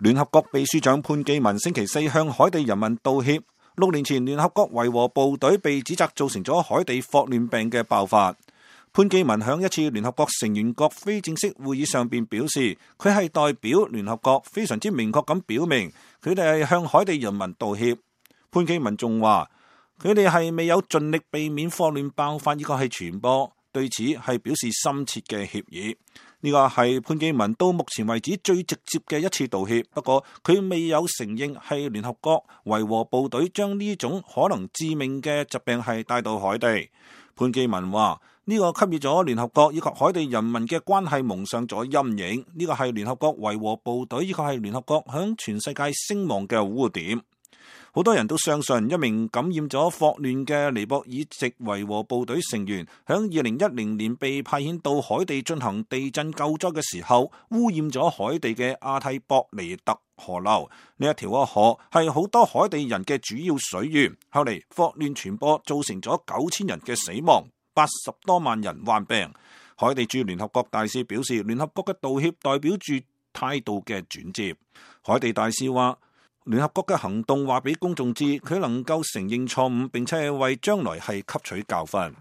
聯合國秘書長潘基文星期四向海地人民道歉。6年前，聯合國維和部隊被指責造成咗海地霍亂病嘅爆發。潘基文響一次聯合國成員國非正式會議上邊表示，佢係代表聯合國非常之明確咁表明，佢哋係向海地人民道歉。潘基文仲話，佢哋係未有盡力避免霍亂爆發，呢個係傳播，對此係表示深切嘅歉意。呢個係潘基文到目前為止最直接嘅一次道歉，不過佢未有承認係聯合國維和部隊將呢種可能致命嘅疾病係帶到海地。潘基文話，呢個給予咗聯合國以及海地人民嘅關係蒙上咗陰影，呢個係聯合國維和部隊以及係聯合國響全世界聲望嘅污點。好多人都相信一名感染咗霍亂嘅尼泊爾籍維和部隊成員，響2010年被派遣到海地進行地震救災嘅時候，污染咗海地嘅阿蒂博尼特河流。呢一條河係好多海地人嘅主要水源。後嚟霍亂傳播，造成咗9000人嘅死亡，80多萬人患病。海地駐聯合國大使表示，聯合國嘅道歉代表住態度嘅轉折。海地大使話，聯合國嘅行動話俾公眾知，佢能夠承認錯誤，並且係為將來係吸取教訓。